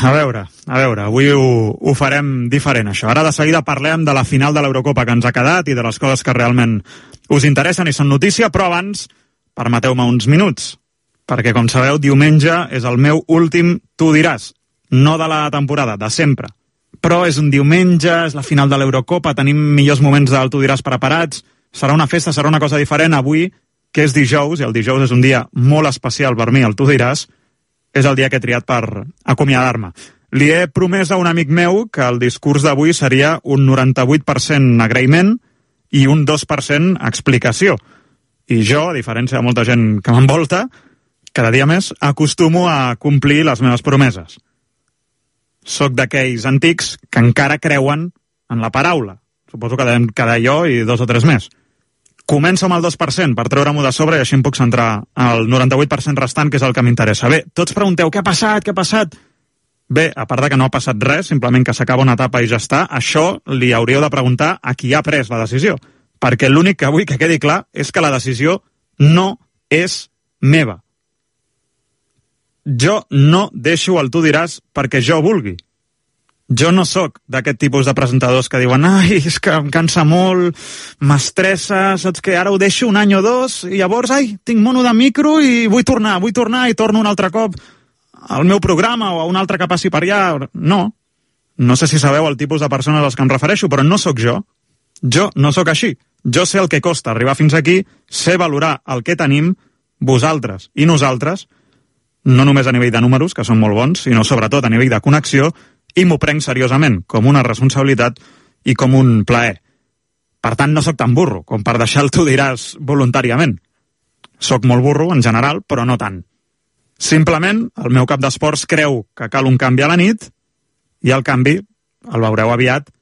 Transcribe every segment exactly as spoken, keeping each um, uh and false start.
a veure, a veure, avui ho, ho farem diferent, això. Ara de seguida parlem de la final de l'Eurocopa que ens ha quedat i de les coses que realment us interessen i són notícia, però abans permeteu-me uns minuts, perquè, com sabeu, diumenge és el meu últim Tu diràs, no de la temporada, de sempre. Però és un diumenge, és la final de l'Eurocopa, tenim millors moments del Tu diràs preparats, serà una festa, serà una cosa diferent. Avui, que és dijous, i el dijous és un dia molt especial per mi, el Tu diràs, és el dia que he triat per acomiadar-me. Li he promès a un amic meu que el discurs d'avui seria un noranta-vuit per cent agraïment i un dos per cent explicació. I jo, a diferència de molta gent que m'envolta, cada dia més acostumo a complir les meves promeses. Soc d'aquells antics que encara creuen en la paraula. Suposo que devem quedar jo i dos o tres més. Començo amb el dos per cent per treure-m'ho de sobre i així em puc centrar al noranta-vuit per cent restant, que és el que m'interessa. Bé, tots pregunteu, què ha passat, què ha passat? Bé, a part de que no ha passat res, simplement que s'acaba una etapa i ja està, això li hauríeu de preguntar a qui ha pres la decisió. Perquè l'únic que vull que quedi clar és que la decisió no és meva. Jo no deixo el Tu diràs perquè jo vulgui. Jo no sóc d'aquest tipus de presentadors que diuen ai, és que em cansa molt, m'estressa, saps que ara ho deixo un any o dos i llavors, ai, tinc mono de micro i vull tornar, vull tornar i torno un altre cop al meu programa o a un altre que passi per allà. No, no sé si sabeu el tipus de persones a les que em refereixo, però no sóc jo. Jo no sóc així. Jo sé el que costa arribar fins aquí, sé valorar el que tenim, vosaltres i nosaltres, no només a nivell de números, que són molt bons, sinó sobretot a nivell de connexió, i m'ho prenc seriosament, com una responsabilitat i com un plaer. Per tant, no sóc tan burro com per deixar el Tu diràs voluntàriament. Soc molt burro, en general, però no tant. Simplement, el meu cap d'esports creu que cal un canvi a la nit i el canvi, el veureu aviat,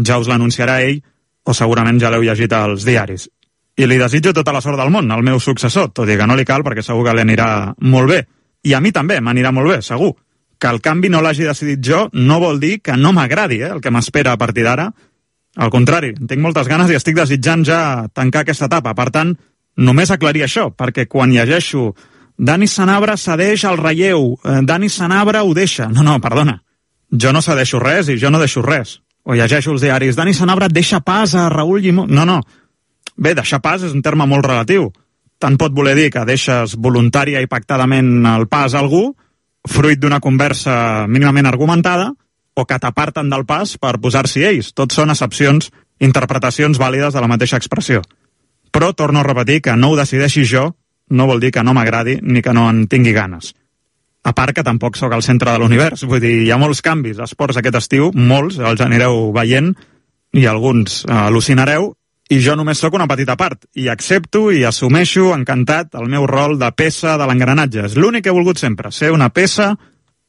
ja us l'anunciarà ell o segurament ja l'heu llegit als diaris. I li desitjo tota la sort del món al meu successor, tot i que no li cal perquè segur que li anirà molt bé. I a mi també m'anirà molt bé, segur. Que el canvi no l'hagi decidit jo no vol dir que no m'agradi eh, el que m'espera a partir d'ara. Al contrari, tinc moltes ganes i estic desitjant ja tancar aquesta etapa. Per tant, només aclarir això, perquè quan llegeixo Dani Sanabra cedeix al relleu, eh, Dani Sanabra ho deixa. No, no, perdona. Jo no cedeixo res i jo no deixo res. O llegeixo els diaris, Dani Sanabra deixa pas a Raül Llimó. No, no. Bé, deixar pas és un terme molt relatiu. Tant pot voler dir que deixes voluntària i pactadament el pas a algú, fruit d'una conversa mínimament argumentada, o que t'aparten del pas per posar-s'hi ells. Tots són accepcions, interpretacions vàlides de la mateixa expressió. Però torno a repetir que no ho decideixi jo, no vol dir que no m'agradi ni que no en tingui ganes. A part que tampoc sóc al centre de l'univers, vull dir, hi ha molts canvis esports aquest estiu, molts, els anireu veient, i alguns eh, al·lucinareu, i jo només sóc una petita part, i accepto i assumeixo encantat el meu rol de peça de l'engranatge. És l'únic que he volgut sempre, ser una peça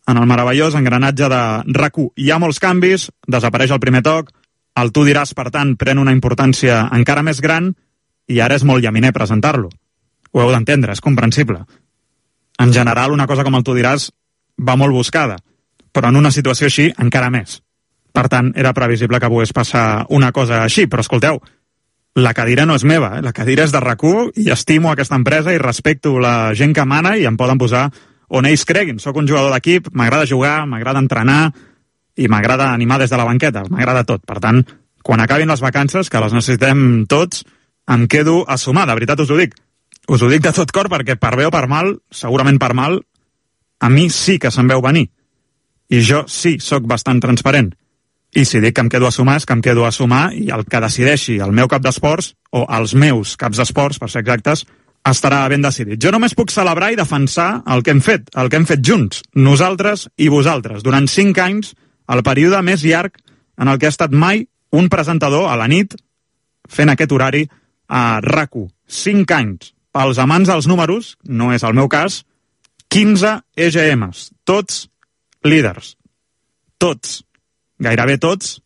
en el meravellós engranatge de RAC u. Hi ha molts canvis, desapareix el primer toc, el Tu diràs, per tant, pren una importància encara més gran, i ara és molt llaminer presentar-lo. Ho heu d'entendre, és comprensible. En general, una cosa com el Tu diràs va molt buscada, però en una situació així, encara més. Per tant, era previsible que pogués passar una cosa així, però escolteu, la cadira no és meva, eh? La cadira és de RAC u i estimo aquesta empresa i respecto la gent que mana i em poden posar on ells creguin. Soc un jugador d'equip, m'agrada jugar, m'agrada entrenar i m'agrada animar des de la banqueta, m'agrada tot. Per tant, quan acabin les vacances, que les necessitem tots, em quedo a sumar, de veritat us ho dic. Us ho dic de tot cor perquè per bé o per mal, segurament per mal, a mi sí que se'm veu venir. I jo sí sóc bastant transparent. I si dic que em quedo a sumar, és que em quedo a sumar i el que decideixi el meu cap d'esports, o els meus caps d'esports, per ser exactes, estarà ben decidit. Jo només puc celebrar i defensar el que hem fet, el que hem fet junts, nosaltres i vosaltres, durant cinc anys, el període més llarg en el que ha estat mai un presentador a la nit fent aquest horari a RAC u. Cinc anys. Pels amants dels números, no és el meu cas, quinze E G Ms, tots líders. Tots. Gairebé tots,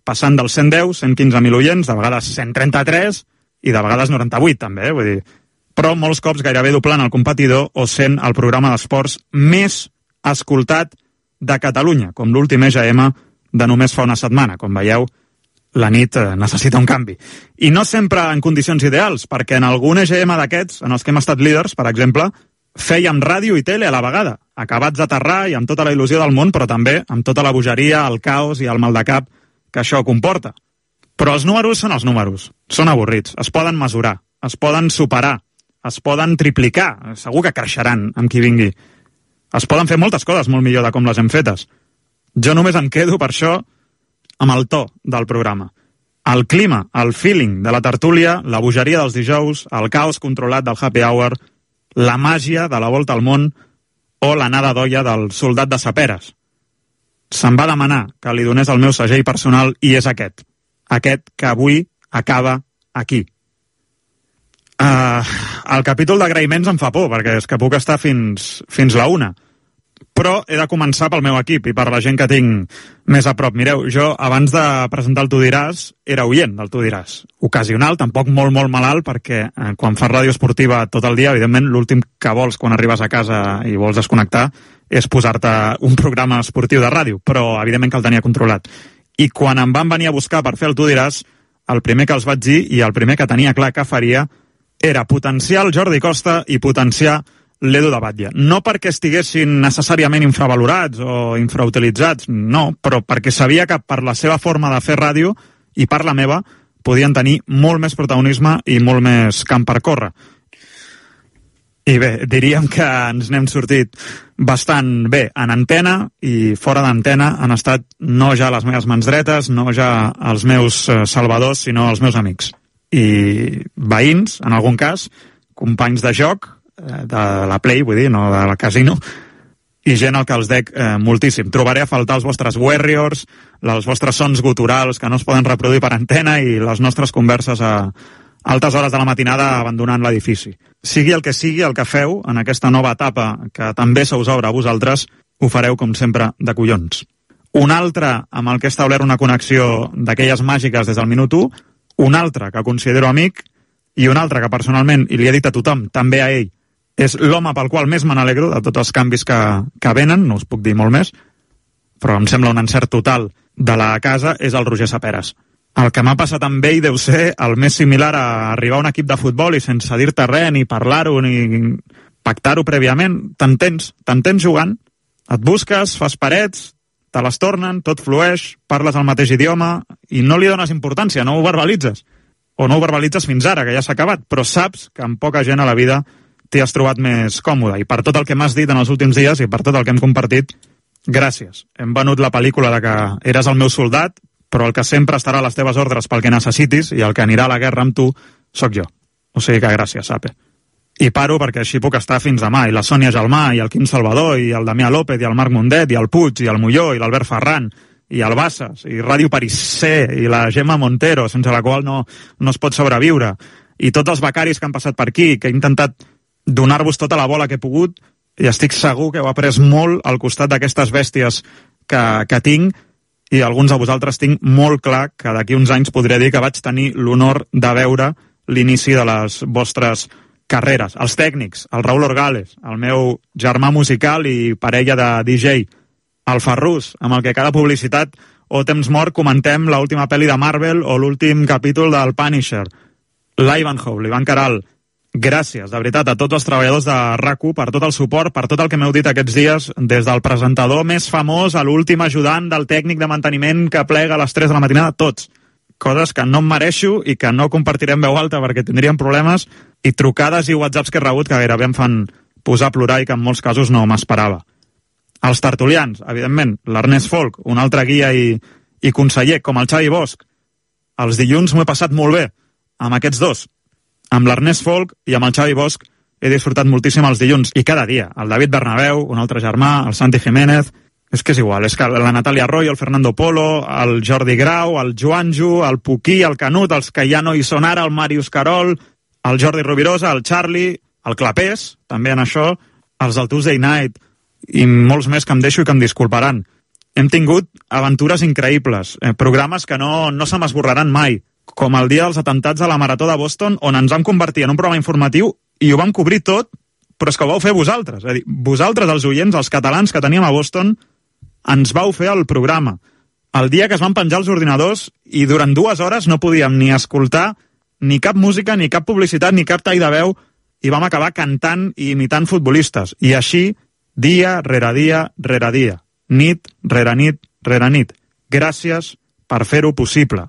passant dels cent deu, cent quinze mil oients, de vegades cent trenta-tres i de vegades noranta-vuit, també, eh? Vull dir, però molts cops gairebé doblant el competidor o sent el programa d'esports més escoltat de Catalunya, com l'últim E G M de només fa una setmana. Com veieu, la nit necessita un canvi. I no sempre en condicions ideals, perquè en algun E G M d'aquests, en els que hem estat líders, per exemple, fèiem ràdio i tele a la vegada, acabats d'aterrar i amb tota la il·lusió del món, però també amb tota la bogeria, el caos i el mal de cap que això comporta. Però els números són els números, són avorrits, es poden mesurar, es poden superar, es poden triplicar, segur que creixeran amb qui vingui. Es poden fer moltes coses molt millor de com les hem fetes. Jo només em quedo, per això, amb el to del programa. El clima, el feeling de la tertúlia, la bogeria dels dijous, el caos controlat del happy hour, la màgia de la volta al món o l'anada d'olla del soldat de Saperes. Se'm va demanar que li donés el meu segell personal i és aquest. Aquest que avui acaba aquí. Uh, el capítol d'agraïments em fa por, perquè és que puc estar fins, fins la una. Però he de començar pel meu equip i per la gent que tinc més a prop. Mireu, jo abans de presentar el Tu diràs era oient del Tu diràs. Ocasional, tampoc molt, molt malalt, perquè eh, quan fas ràdio esportiva tot el dia, evidentment l'últim que vols quan arribes a casa i vols desconnectar és posar-te un programa esportiu de ràdio, però evidentment que el tenia controlat. I quan em van venir a buscar per fer el Tu diràs, el primer que els vaig dir i el primer que tenia clar que faria era potenciar el Jordi Costa i potenciar l'Edu de Batlle. No perquè estiguessin necessàriament infravalorats o infrautilitzats, no, però perquè sabia que per la seva forma de fer ràdio i per la meva podien tenir molt més protagonisme i molt més camp per córrer. I bé, diríem que ens n'hem sortit bastant bé en antena i fora d'antena han estat no ja les meves mans dretes, no ja els meus salvadors, sinó els meus amics. I veïns, en algun cas, companys de joc, de la Play, vull dir, no de la casino, i gent al que els dec eh, moltíssim. Trobaré a faltar els vostres Warriors, els vostres sons guturals que no es poden reproduir per antena i les nostres converses a altes hores de la matinada abandonant l'edifici. Sigui el que sigui el que feu en aquesta nova etapa que també se us obre a vosaltres, ho fareu com sempre de collons. Un altre amb el que he establert una connexió d'aquelles màgiques des del minut u, un altre que considero amic i un altre que personalment, i li he dit a tothom, també a ell, és l'home pel qual més me n'alegro de tots els canvis que, que venen, no us puc dir molt més, però em sembla un encert total de la casa, és el Roger Saperes. El que m'ha passat amb ell deu ser el més similar a arribar a un equip de futbol i sense dir-te res, ni parlar-ho, ni pactar-ho prèviament. T'entens, t'entens jugant, et busques, fas parets, te les tornen, tot flueix, parles el mateix idioma i no li dones importància, no ho verbalitzes. O no ho verbalitzes fins ara, que ja s'ha acabat, però saps que amb poca gent a la vida t'hi has trobat més còmode. I per tot el que m'has dit en els últims dies i per tot el que hem compartit, gràcies. Hem venut la pel·lícula de que eres el meu soldat, però el que sempre estarà a les teves ordres pel que necessitis i el que anirà a la guerra amb tu sóc jo. O sigui que gràcies, Sape. I paro perquè així puc estar fins demà. I la Sònia Gelmà, i el Quim Salvador, i el Damià López, i el Marc Mundet, i el Puig, i el Molló, i l'Albert Ferran, i el Bassas, i Ràdio París C, i la Gemma Montero, sense la qual no, no es pot sobreviure, i tots els becaris que han passat per aquí, que he intentat donar-vos tota la bola que he pogut, i estic segur que heu après molt al costat d'aquestes bèsties que, que tinc, i alguns de vosaltres tinc molt clar que d'aquí uns anys podré dir que vaig tenir l'honor de veure l'inici de les vostres carreres. Els tècnics, el Raül Orgales, el meu germà musical i parella de D J, el Ferrús, amb el que cada publicitat o temps mort comentem l'última pel·li de Marvel o l'últim capítol del Punisher, l'Ivanhoe, l'Ivan Caral. Gràcies, de veritat, a tots els treballadors de RAC u per tot el suport, per tot el que m'heu dit aquests dies, des del presentador més famós a l'últim ajudant del tècnic de manteniment que plega a les tres de la matinada, tots. Coses que no em mereixo i que no compartirem veu alta perquè tindríem problemes, i trucades i whatsapps que he rebut que gairebé em fan posar a plorar i que en molts casos no m'esperava. Els tertulians, evidentment, l'Ernest Folk, un altre guia i, i conseller, com el Xavi Bosch. Els dilluns m'ho he passat molt bé, amb aquests dos. Amb l'Ernest Folk i amb el Xavi Bosch he disfrutat moltíssim els dilluns, i cada dia. El David Bernabéu, un altre germà, el Santi Jiménez, és que és igual, és que la Natàlia Arroyo, el Fernando Polo, el Jordi Grau, el Joanjo, el Puquí, el Canut, els que ja no hi són ara, el Màrius Carol, el Jordi Rovirosa, el Charlie, el Clapés, també en això, els del Tuesday Night, i molts més que em deixo i que em disculparan. Hem tingut aventures increïbles, eh, programes que no, no se m'esborraran mai, com el dia dels atentats a la Marató de Boston, on ens vam convertir en un programa informatiu i ho vam cobrir tot, però és que ho vau fer vosaltres. És a dir, vosaltres, els oients, els catalans que teníem a Boston, ens vau fer el programa. El dia que es van penjar els ordinadors i durant dues hores no podíem ni escoltar ni cap música, ni cap publicitat, ni cap tall de veu i vam acabar cantant i imitant futbolistes. I així, dia rere dia rere dia, nit rere nit rere nit. Gràcies per fer-ho possible.